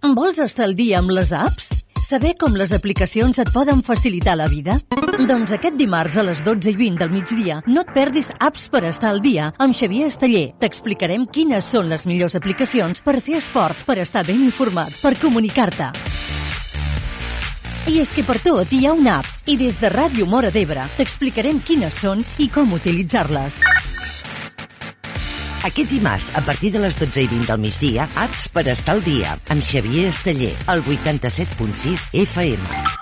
Vols estar al dia amb les apps? Saber com les aplicacions et poden facilitar la vida? Doncs aquest dimarts a les 12:20 del migdia no et perdis Apps per estar al dia amb Xavier Esteller. T'explicarem quines són les millors aplicacions per fer esport, per estar ben informat, per comunicar-te. I és que per tot hi ha una app i des de Ràdio Móra d'Ebre t'explicarem quines són i com utilitzar-les. Aquest dimarts, a partir de les 12:20 del migdia, Apps per estar al dia, amb Xavier Esteller, al 87.6 FM.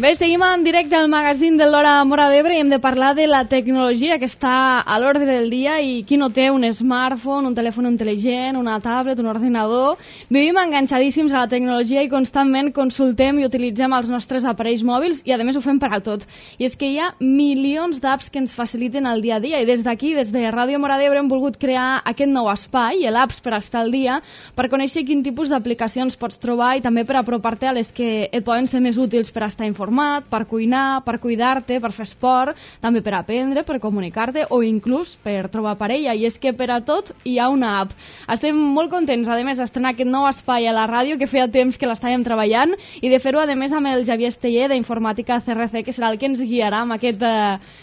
Bé, seguim en directe al magazín de l'Hora Móra d'Ebre i hem de parlar de la tecnologia que està a l'ordre del dia i qui no té un smartphone, un telèfon intel·ligent, una tablet, un ordinador. Vivim enganxadíssims a la tecnologia i constantment consultem i utilitzem els nostres aparells mòbils i a més ho fem per a tot. I és que hi ha milions d'apps que ens faciliten el dia a dia i des d'aquí, des de Ràdio Móra d'Ebre, hem volgut crear aquest nou espai, l'Apps per estar al dia, per conèixer quin tipus d'aplicacions pots trobar i també per apropar-te a les que et poden ser més útils per estar informat, per cuinar, per cuidar-te, per fer esport, també per aprendre, per comunicar-te o inclús per trobar parella. I és que per a tot hi ha una app. Estem molt contents, a més, d'estrenar aquest nou espai a la ràdio, que feia temps que l'estàvem treballant, i de fer-ho, a més, amb el Xavier Esteller d'Informàtica CRC, que serà el que ens guiarà amb aquest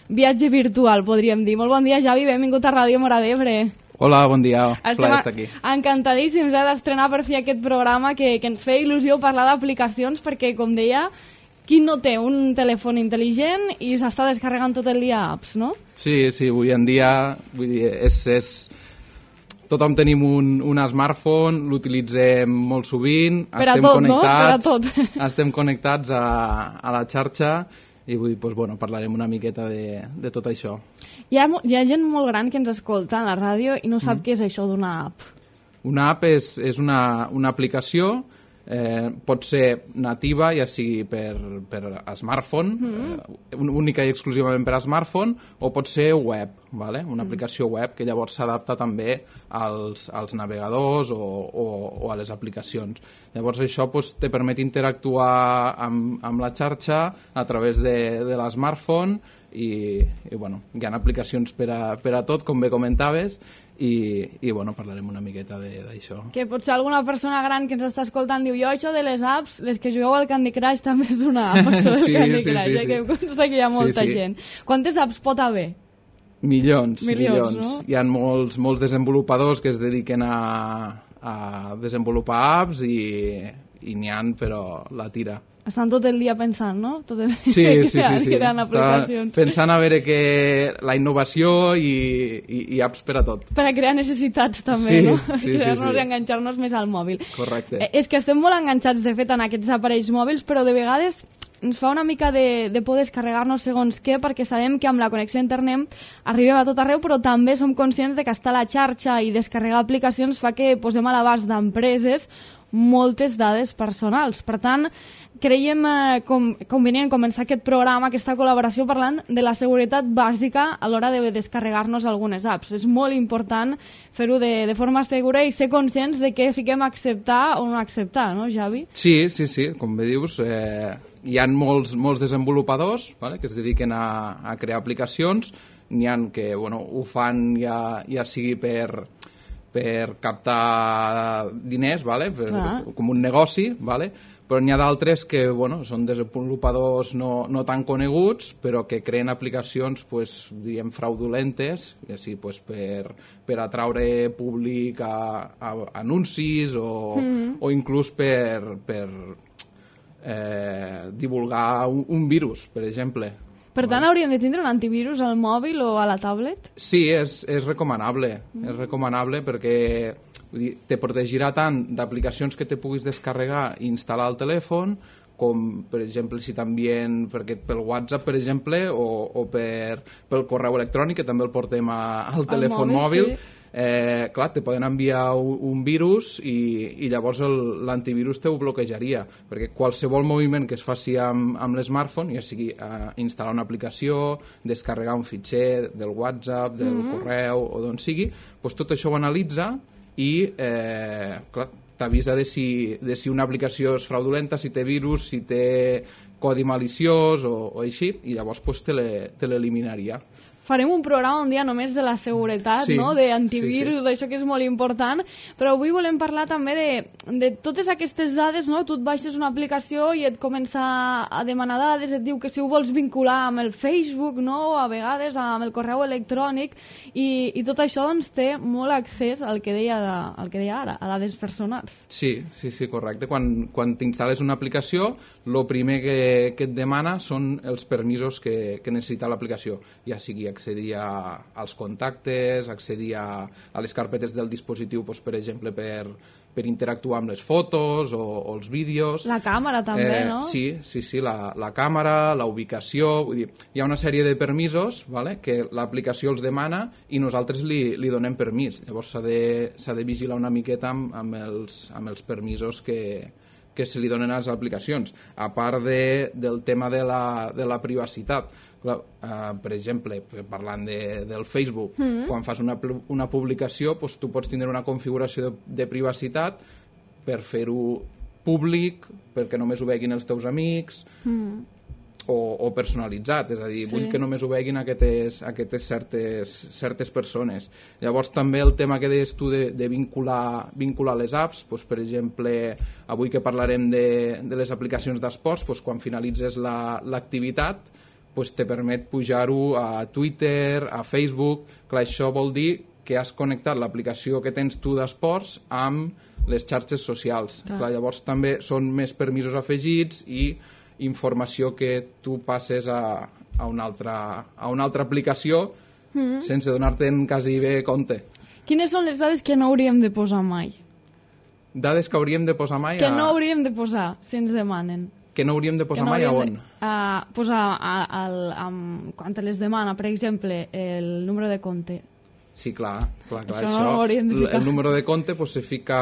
viatge virtual, podríem dir. Molt bon dia, Xavi, benvingut a Ràdio Móra d'Ebre. Hola, bon dia, plaer estar aquí. Encantadíssims d'estrenar per fi aquest programa que ens feia il·lusió parlar d'aplicacions perquè, com deia, qui no té un telèfon intel·ligent i s'està descarregant tot el dia apps, no? Sí, avui en dia, vull dir, tothom tenim un smartphone, l'utilitzem molt sovint, estem connectats a la xarxa i vull dir, parlarem una miqueta de tot això. Hi ha gent molt gran que ens escolta a la ràdio i no sap què és això d'una app. Una app és una aplicació. Pot ser nativa, ja sigui per smartphone, única i exclusivament per a smartphone, o pot ser web, vale? Una aplicació web que llavors s'adapta també als navegadors o a les aplicacions. Llavors això te permet interactuar amb la xarxa a través de l'smartphone i hi ha aplicacions per a tot, com bé comentaves, i parlarem una miqueta d'això. Que potser alguna persona gran que ens està escoltant diu, jo això de les apps, les que jugueu al Candy Crush també és una app, això del Candy Crush, que em consta que hi ha molta gent. Quantes apps pot haver? Milions. No? Hi ha molts desenvolupadors que es dediquen a desenvolupar apps i n'hi ha, però la tira. Estan tot el dia pensant, no? Sí. Creant aplicacions. Pensant a veure que la innovació i apps per a tot. Per a crear necessitats també, no? Crear-nos i enganxar-nos més al mòbil. Correcte. És que estem molt enganxats, de fet, en aquests aparells mòbils, però de vegades ens fa una mica de por descarregar-nos segons què, perquè sabem que amb la connexió a internet arribem a tot arreu, però també som conscients de que estar a la xarxa i descarregar aplicacions fa que posem a l'abast d'empreses moltes dades personals. Per tant, creiem convenient començar aquest programa, aquesta col·laboració, parlant de la seguretat bàsica a l'hora de descarregar-nos algunes apps. És molt important fer-ho de forma segura i ser conscients de què fiquem a acceptar o no acceptar, no, Xavi? Sí, com bé dius, hi ha molts desenvolupadors, vale, que es dediquen a crear aplicacions. N'hi ha que ho fan ja sigui per captar diners, vale? Com un negoci, vale? Però n'hi ha d'altres que són desenvolupadors no tan coneguts, però que creen aplicacions diríem fraudulentes, ja sigui per atraure públic a anuncis o inclús per divulgar un virus, per exemple. Per tant, hauríem de tindre un antivirus al mòbil o a la tablet? Sí, és recomanable. És recomanable perquè te protegirà tant d'aplicacions que te puguis descarregar i instal·lar al telèfon, com, per exemple, si t'envien pel WhatsApp, per exemple, o pel correu electrònic, que també el portem al telèfon mòbil. Sí. Clar, te poden enviar un virus i llavors l'antivirus te ho bloquejaria, perquè qualsevol moviment que es faci amb l'smartphone, ja sigui instal·lar una aplicació, descarregar un fitxer del WhatsApp, del correu o d'on sigui, tot això ho analitza i clar, t'avisa de si una aplicació és fraudulenta, si té virus, si té codi maliciós o així, i llavors pues, te l'eliminaria. Farem un programa un dia només de la seguretat, sí, no? D'antivirus, sí. d'això que és molt important, però avui volem parlar també de totes aquestes dades, no? Tu et baixes una aplicació i et comença a demanar dades, et diu que si ho vols vincular amb el Facebook, no? A vegades amb el correu electrònic, i tot això doncs, té molt accés al que deia ara, a dades personals. Sí, correcte. Quan t'instal·les una aplicació, el primer que et demana són els permisos que necessita l'aplicació, ja sigui accedir als contactes, accedir a les carpetes del dispositiu, doncs, per exemple, per interactuar amb les fotos o els vídeos. La càmera també, no? Sí, la càmera, la ubicació, vull dir, hi ha una sèrie de permisos, vale, que l'aplicació els demana i nosaltres li donem permís. Llavors s'ha de vigilar una miqueta amb els permisos que se li donen a les aplicacions, a part del tema de la privacitat. Clar, per exemple, parlant del Facebook, quan fas una publicació, doncs tu pots tindre una configuració de privacitat per fer-ho públic, perquè només ho veguin els teus amics, o personalitzat, és a dir, vull que només ho veguin aquestes certes persones. Llavors també el tema que deies tu de vincular les apps, doncs, per exemple, avui que parlarem de les aplicacions d'esports, doncs, quan finalitzes l'activitat, pues te permet pujar-ho a Twitter, a Facebook. Clar, això vol dir que has connectat l'aplicació que tens tu d'esports amb les xarxes socials. Clar, llavors també són més permisos afegits i informació que tu passes a una altra aplicació sense donar-te'n quasi bé compte. Quines són les dades que no hauríem de posar mai? Dades que hauríem de posar mai? Que no hauríem de posar, si ens demanen. Que no hauríem de posar mai a on? Posar quan te les demana, per exemple, el número de compte. Sí, clar. Això no ho hauríem de ficar. El número de compte pues, se fica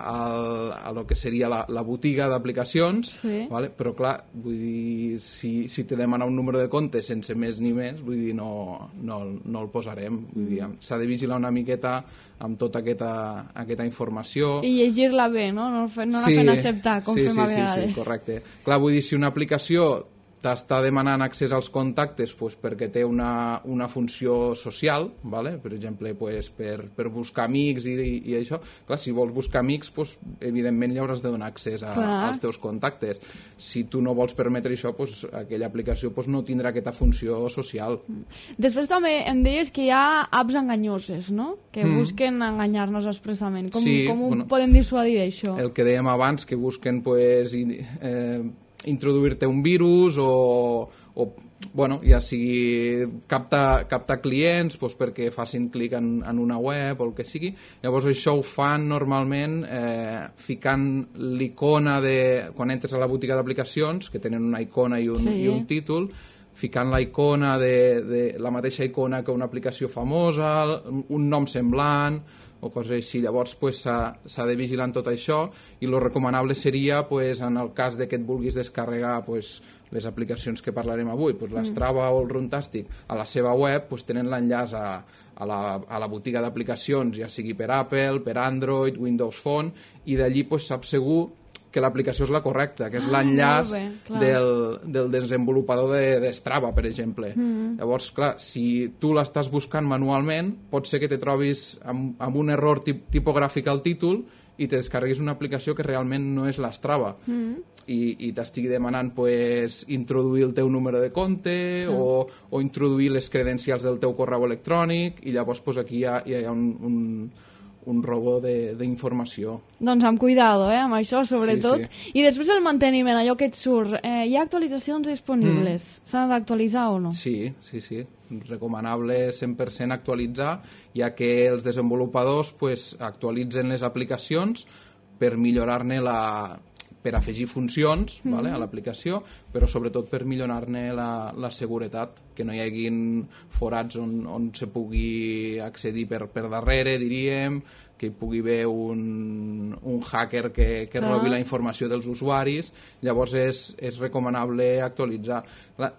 a lo que seria la botiga d'aplicacions, vale? Però clar, vull dir, si te demana un número de compte sense més ni menys, vull dir, no el posarem. Vull dir, s'ha de vigilar una miqueta amb tota aquesta informació. I llegir-la bé, no? No anar fent acceptar, com fem a vegades. Sí, correcte. Clar, vull dir, si una aplicació t'està demanant accés als contactes pues, perquè té una funció social, vale? Per exemple, pues, per buscar amics i això. Clar, si vols buscar amics, pues, evidentment li hauràs de donar accés als teus contactes. Si tu no vols permetre això, pues, aquella aplicació pues, no tindrà aquesta funció social. Després també em deies que hi ha apps enganyoses, no? Que busquen enganyar-nos expressament. Com ho podem dissuadir d'això? El que dèiem abans, que busquen pues, introduir-te un virus o ja sigui captar clients doncs perquè facin clic en una web o el que sigui. Llavors això ho fan normalment ficant l'icona quan entres a la botiga d'aplicacions, que tenen una icona i un títol, ficant la icona de la mateixa icona que una aplicació famosa, un nom semblant o coses així. Llavors s'ha de vigilar tot això i el recomanable seria, en el cas que et vulguis descarregar les aplicacions que parlarem avui, l'Strava o el Runtastic, a la seva web tenen l'enllaç a la botiga d'aplicacions, ja sigui per Apple, per Android, Windows Phone, i d'allí saps segur que l'aplicació és la correcta, que és l'enllaç del desenvolupador de Strava, per exemple. Llavors, clar, si tu l'estàs buscant manualment, pot ser que te trobis amb un error tipogràfic al títol i te descarreguis una aplicació que realment no és l'Strava i t'estigui demanant introduir el teu número de compte o introduir les credencials del teu correu electrònic, i llavors aquí hi ha un robo d'informació. Doncs amb cuidado, amb això, sobretot. Sí. I després el manteniment, allò que et surt. Hi ha actualitzacions disponibles? S'han d'actualitzar o no? Sí. Recomanable 100% actualitzar, ja que els desenvolupadors actualitzen les aplicacions per millorar-ne per afegir funcions a l'aplicació, però sobretot per millorar-ne la seguretat, que no hi haguin forats on se pugui accedir per darrere, diríem, que hi pugui haver un hacker que robi la informació dels usuaris. Llavors és recomanable actualitzar.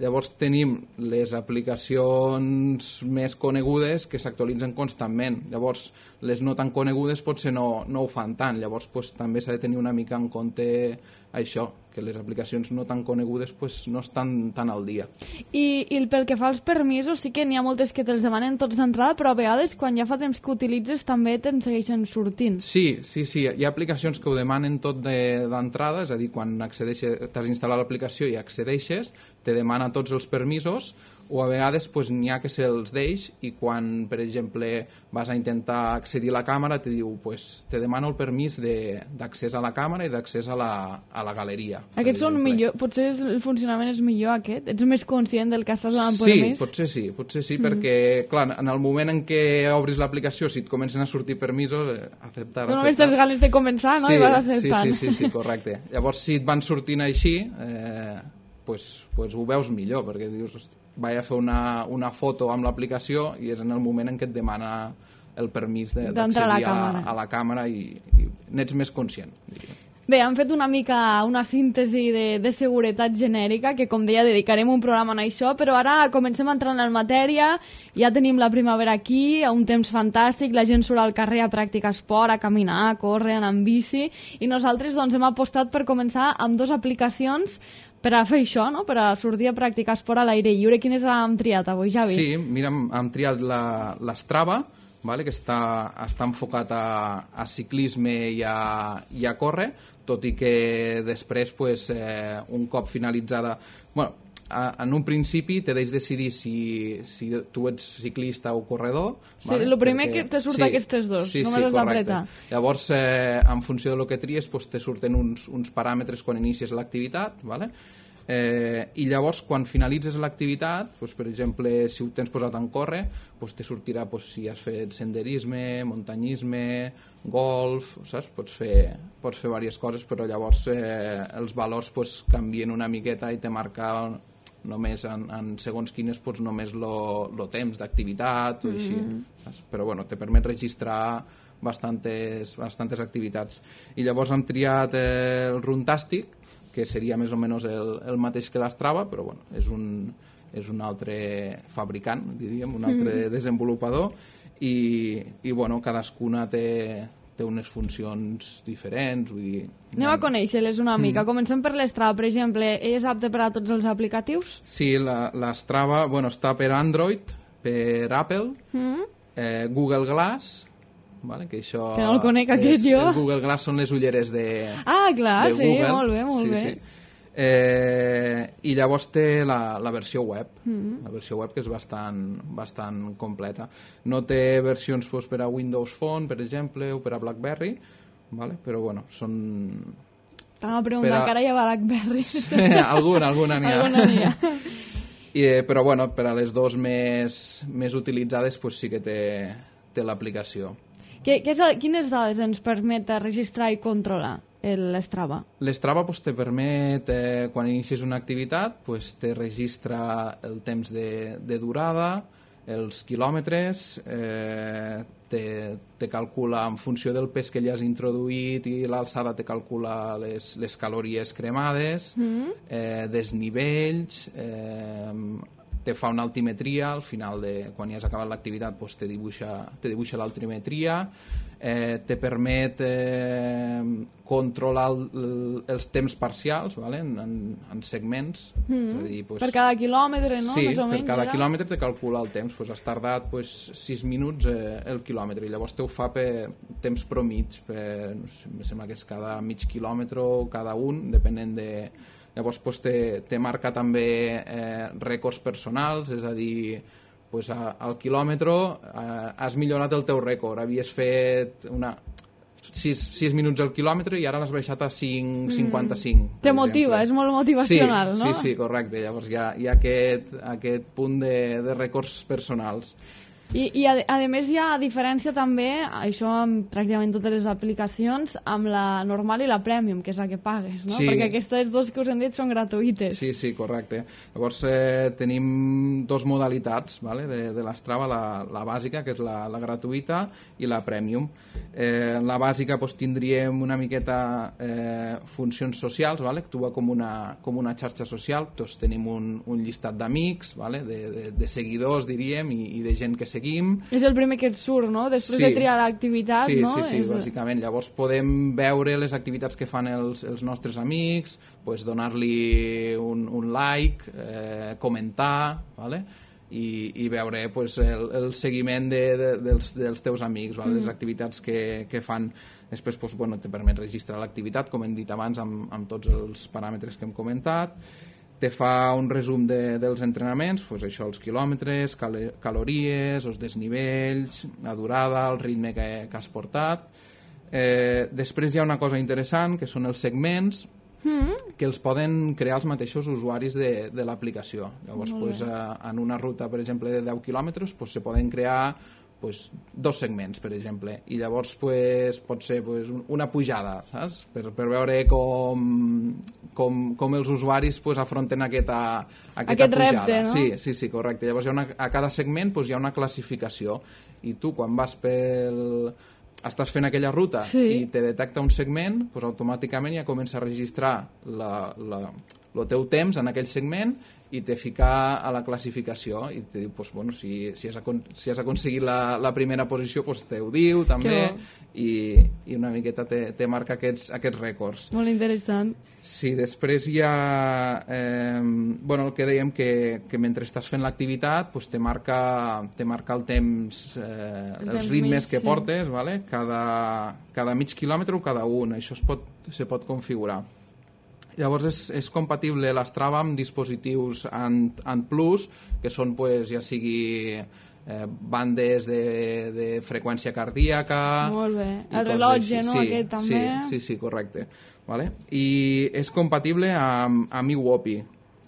Llavors tenim les aplicacions més conegudes que s'actualitzen constantment. Llavors les no tan conegudes potser no ho fan tant. Llavors també s'ha de tenir una mica en compte això, que les aplicacions no tan conegudes no estan tan al dia. I pel que fa als permisos, sí que n'hi ha moltes que te'ls demanen tots d'entrada, però a vegades quan ja fa temps que utilitzes també te'n segueixen sortint. Sí. Hi ha aplicacions que ho demanen tot d'entrada, és a dir, quan t'has instal·lat l'aplicació i accedeixes, te demana tots els permisos, o a vegades n'hi ha que se'ls deix i quan, per exemple, vas a intentar accedir a la càmera te diu, te demano el permís d'accés a la càmera i d'accés a la galeria. Aquests són millor, potser el funcionament és millor aquest? Ets més conscient del que estàs donant permís? Sí, potser sí, perquè, clar, en el moment en què obris l'aplicació, si et comencen a sortir permisos, acceptar. No només tens ganes de començar, no? I vas acceptant. Sí, correcte. Llavors, si et van sortint així, ho veus millor, perquè dius, vaig a fer una foto amb l'aplicació i és en el moment en què et demana el permís d'accedir a la càmera i n'ets més conscient, diria. Bé, hem fet una mica una síntesi de seguretat genèrica, que com deia dedicarem un programa a això, però ara comencem a entrar en matèria, ja tenim la primavera aquí, un temps fantàstic, la gent surt al carrer a practicar esport, a caminar, a córrer, a anar amb bici, i nosaltres hem apostat per començar amb 2 aplicacions per a fer això, no? Per a sortir a practicar esport a l'aire lliure. Quines hem triat avui, Javi? Sí, mira, hem triat l'Strava, que està enfocat a ciclisme i a córrer, tot i que després, un cop finalitzada... En un principi te deix decidir si tu ets ciclista o corredor. Sí, el primer que te surt aquestes dos, només has d'apretar. Llavors, en funció del que tries, te surten uns paràmetres quan inicies l'activitat, i llavors quan finalitzes l'activitat, per exemple, si ho tens posat en córrer, te sortirà si has fet senderisme, muntanyisme, golf, saps? Pots fer diverses coses, però llavors els valors canvien una miqueta i te marca només en segons quines només el temps d'activitat o així, però te permet registrar bastantes activitats. I llavors hem triat el Runtastic, que seria més o menys el mateix que l'Strava, però és un altre fabricant, diríem, un altre desenvolupador, i cadascuna té unes funcions diferents. Vull dir, anem a conèixer-les una mica. Comencem per l'Strava, per exemple. És apte per a tots els aplicatius? Sí, l'Strava està per Android, per Apple, Google Glass, que això... Que no el conec aquest jo. El Google Glass són les ulleres de clar, de Google. Sí, molt bé. Sí. I llavors té la versió web, la versió web que és bastant completa. No té versions per a Windows Phone, per exemple, o per a BlackBerry, però són... T'anava a preguntar, encara hi ha BlackBerry. Alguna n'hi ha. Però per a les dos més utilitzades sí que té l'aplicació. Quines dades ens permet registrar i controlar l'Strava? L'Strava te permet, quan inicies una activitat, te registra el temps de durada, els quilòmetres, te calcula en funció del pes que li has introduït i l'alçada te calcula les calories cremades, desnivells, te fa una altimetria, al final quan ja has acabat l'activitat te dibuixa l'altimetria, te permet controlar els temps parcials en segments. És a dir, per cada quilòmetre, no? Sí, per cada quilòmetre te calcula el temps. Has tardat 6 minuts el quilòmetre i llavors te ho fa per temps promig, em sembla que és cada mig quilòmetre o cada un, depenent de... Llavors te marca també rècords personals, és a dir, al quilòmetre has millorat el teu rècord, havies fet 6 minuts al quilòmetre i ara l'has baixat a 5,55. Te motiva, és molt motivacional, no? Sí, correcte. Llavors hi ha aquest punt de rècords personals. I a més hi ha diferència també, això amb pràcticament totes les aplicacions, amb la normal i la Premium, que és la que pagues, no? Sí. Perquè aquestes dos que us hem dit són gratuïtes. Sí, correcte. Llavors tenim dos modalitats, vale? de l'Strava, la bàsica, que és la gratuïta, i la Premium. La bàsica doncs, tindríem una miqueta funcions socials, vale? Actua com una xarxa social. Doncs tenim un llistat d'amics, vale? de seguidors, diríem, i de gent que seguim. És el primer que et surt, no? Després de triar l'activitat, no? Sí, bàsicament. Llavors podem veure les activitats que fan els nostres amics, pues, donar-li un like, comentar, vale? I veure pues, el seguiment dels teus amics, vale? Les activitats que fan. Després pues, bueno, te permet registrar l'activitat, com hem dit abans, amb tots els paràmetres que hem comentat. Te fa un resum dels entrenaments, pues això, els quilòmetres, calories, els desnivells, la durada, el ritme que has portat. Després hi ha una cosa interessant, que són els segments, que els poden crear els mateixos usuaris de l'aplicació. Llavors, pues, en una ruta, per exemple, de 10 quilòmetres, pues, se poden crear pues, 2 segments, per exemple, i llavors pues, pot ser pues, una pujada, saps? Per veure com els usuaris pues, afronten aquesta pujada. Repte, no? Sí, correcte. Llavors a cada segment pues, hi ha una classificació, i tu quan vas estàs fent aquella ruta i te detecta un segment, pues, automàticament ja comença a registrar el teu temps en aquell segment i te fica a la classificació i te diu, pues, bueno, si has aconseguit la primera posició, pues, te ho diu també i una miqueta te marca aquests rècords. Molt interessant. Sí, després hi ha el que dèiem que mentre estàs fent l'activitat pues, te marca el temps, els ritmes que portes, vale? Cada mig quilòmetre o cada un, això se pot configurar. Llavors és compatible l'Strava amb dispositius Ant Plus, que són pues, ja sigui bandes de freqüència cardíaca... Molt bé. El rellotge, no? Aquest també. Sí, correcte. Vale? I és compatible amb iWhoopie,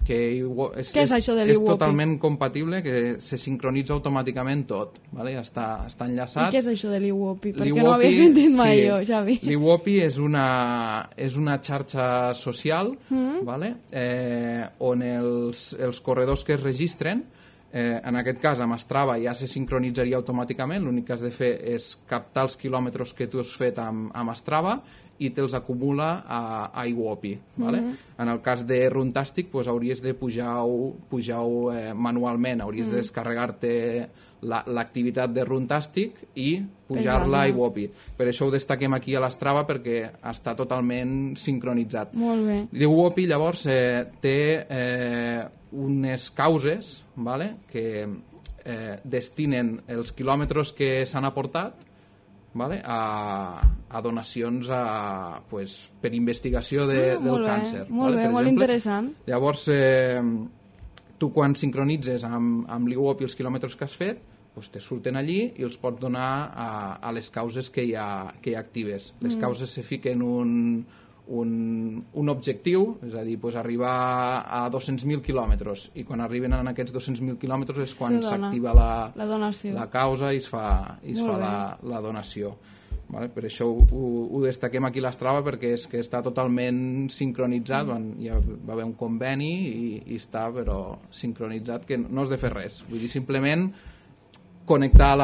que què és això de l'iWhoopie? És totalment compatible, que se sincronitza automàticament tot, vale? està enllaçat. I què és això de l'iWhoopie? Perquè no ho havia sentit mai jo, Xavi. L'iWhoopie és una xarxa social, vale? On els corredors que es registren, en aquest cas amb Strava ja se sincronitzaria automàticament, l'únic que has de fer és captar els quilòmetres que tu has fet amb Strava i te'ls acumula a iWhoopie. Vale? En el cas de Runtastic pues, hauries de pujar-ho manualment, hauries de descarregar-te l'activitat de Runtastic i pujar-la a iWhoopie. Per això ho destaquem aquí a l'Strava perquè està totalment sincronitzat. Molt bé. L'iWhoopie llavors té unes causes, vale? Que destinen els quilòmetres que s'han aportat, vale? a donacions per investigació del càncer. Molt bé, molt interessant. Llavors, tu quan sincronitzes amb l'iWhoopie els quilòmetres que has fet, doncs te surten allí i els pots donar a les causes que hi ha actives. Les causes se fiquen un objectiu, és a dir, doncs arribar a 200.000 quilòmetres, i quan arriben a aquests 200.000 quilòmetres és quan s'activa la causa i es fa la donació. Vale? Per això ho destaquem aquí a l'Strava, perquè és que està totalment sincronitzat, hi va haver un conveni i està però sincronitzat, que no has de fer res, vull dir, simplement connectar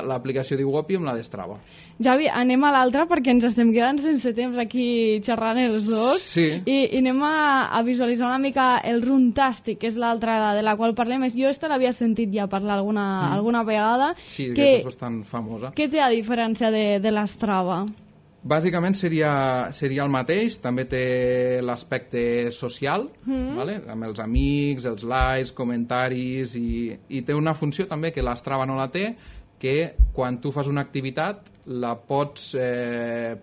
l'aplicació d'iWhoopie amb la d'Strava. Javi, anem a l'altra perquè ens estem quedant sense temps aquí xerrant els dos. Sí. I anem a visualitzar una mica el Runtastic, que és l'altra de la qual parlem. Jo l'havia sentit ja parlar alguna vegada. Sí, que és bastant famosa. Què té a diferència de l'Strava? Bàsicament seria el mateix, també té l'aspecte social, vale? Amb els amics, els likes, comentaris, i té una funció també que l'Strava no la té, que quan tu fas una activitat la pots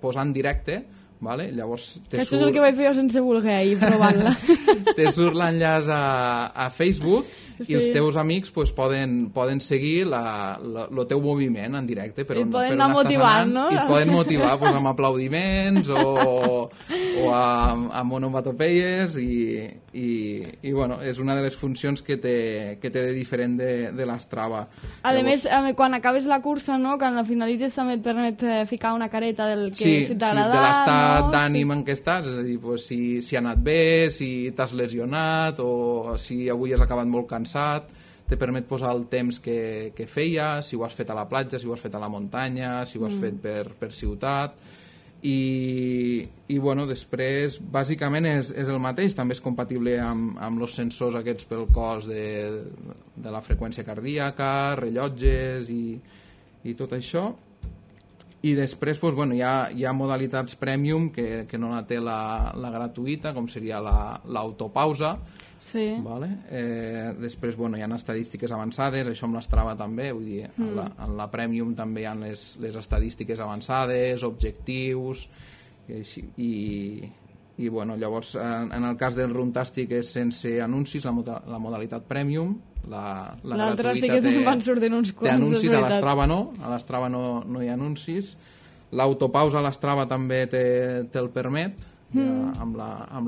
posar en directe, vale? Llavors això és el que vaig fer jo sense voler ahir provant-la. Te surt l'enllaç a Facebook i els teus amics pues, poden seguir el teu moviment en directe. I poden anar motivant, no? I et poden motivar pues, amb aplaudiments o amb onomatopeies i bueno, és una de les funcions que té de diferent de l'Strava. A més, quan acabes la cursa, no? Quan la finalitzes també et permet ficar una careta del que si t'ha agradat, de l'estat d'ànim sí. en què estàs, és a dir, pues, si ha anat bé, si t'has lesionat o si avui has acabat molt cansat, te permet posar el temps que feia, si ho has fet a la platja, si ho has fet a la muntanya, si ho has fet per ciutat. I bueno, després bàsicament és el mateix, també és compatible amb els sensors aquests pel cos de la freqüència cardíaca, rellotges i tot això. I després pues, bueno, hi ha modalitats premium que no la té la gratuïta, com seria l'autopausa. Sí. Vale? Després bueno, hi ha estadístiques avançades, això amb l'Strava també, vull dir, en la Premium també hi ha les estadístiques avançades, objectius i bueno, llavors en el cas del Runtastic és sense anuncis, la modalitat Premium, la l'altra gratuïta sí que te'n van sortint uns quants, té anuncis, a l'Strava no hi ha anuncis. L'autopausa a l'Strava també te el permet, amb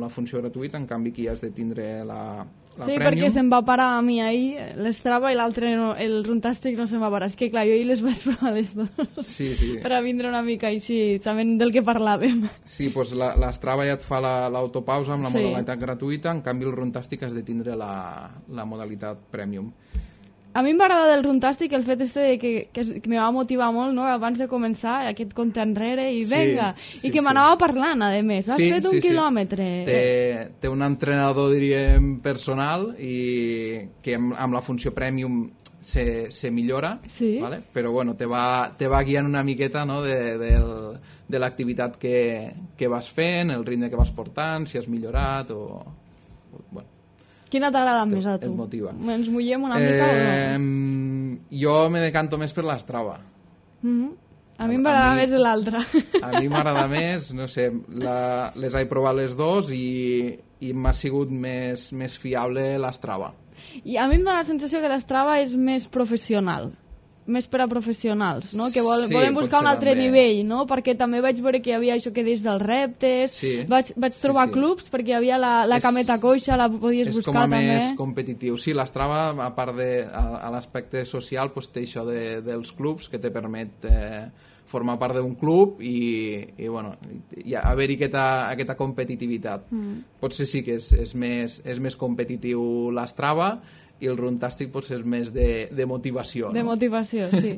la funció gratuïta, en canvi aquí has de tindre la sí, Premium. perquè se'm va parar a mi ahir l'Strava i l'altre, el Runtastic no se'm va parar. És que clar, jo ahir les vaig provar les dues sí. per a vindre una mica així, sabent del que parlàvem. Sí, doncs l'Strava ja et fa l'autopausa amb la modalitat gratuïta, en canvi el Runtastic has de tindre la modalitat Premium. A mi m'agrada del Runtastic el fet que me va motivar molt, no? Abans de començar, aquest compte enrere i venga, i que m'anava parlant, a més. Has fet un quilòmetre. Té un entrenador, diríem, personal i que amb la funció Premium se millora, ¿vale? Però bueno, te va guiant una miqueta, no? de l'activitat que vas fent, el ritme que vas portant, si has millorat o... Bueno. Quina t'agrada més a tu? Et motiva. Ens mullem una mica o no? Jo me decanto més per l'Strava. A mi m'agrada més l'altra. A mi m'agrada més, no sé, les he provat les dues i m'ha sigut més fiable l'Strava. I a mi em dóna la sensació que l'Strava és més professional, més per a professionals, no? Que volen buscar un altre nivell, no? Perquè també vaig veure que hi havia això que deix dels reptes, vaig trobar clubs perquè hi havia la cameta coixa, la podies buscar també. És com a més competitiu. Sí, l'Strava, a part a l'aspecte social, té això dels clubs que te permet formar part d'un club i bueno, haver-hi aquesta competitivitat. Potser sí que és més competitiu l'Strava, i el Runtastic potser és més de motivació. De motivació, sí.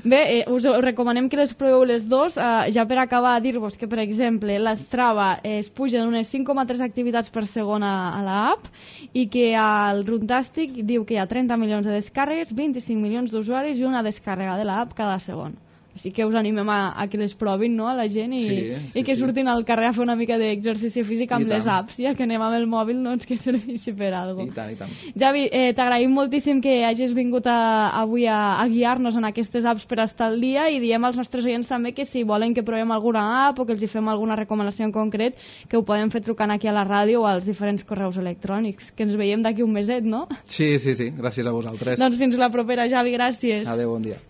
Bé, us recomanem que les proveu les dues. Ja per acabar, dir-vos que, per exemple, l'Strava es pugen unes 5,3 activitats per segon a l'app i que el Runtastic diu que hi ha 30 milions de descàrregues, 25 milions d'usuaris i una descàrrega de l'app cada segon. Així que us animem a que les provin, no?, a la gent i que surtin al carrer a fer una mica d'exercici físic amb les apps, ja que anem amb el mòbil, doncs que serveixi per alguna cosa. I tant. Javi, t'agraïm moltíssim que hagis vingut avui a guiar-nos en aquestes apps per estar al dia i diem als nostres oients també que si volen que provem alguna app o que els hi fem alguna recomanació en concret, que ho podem fer trucant aquí a la ràdio o als diferents correus electrònics, que ens veiem d'aquí un meset, no? Sí, gràcies a vosaltres. Doncs fins la propera, Javi, gràcies. Adéu, bon dia.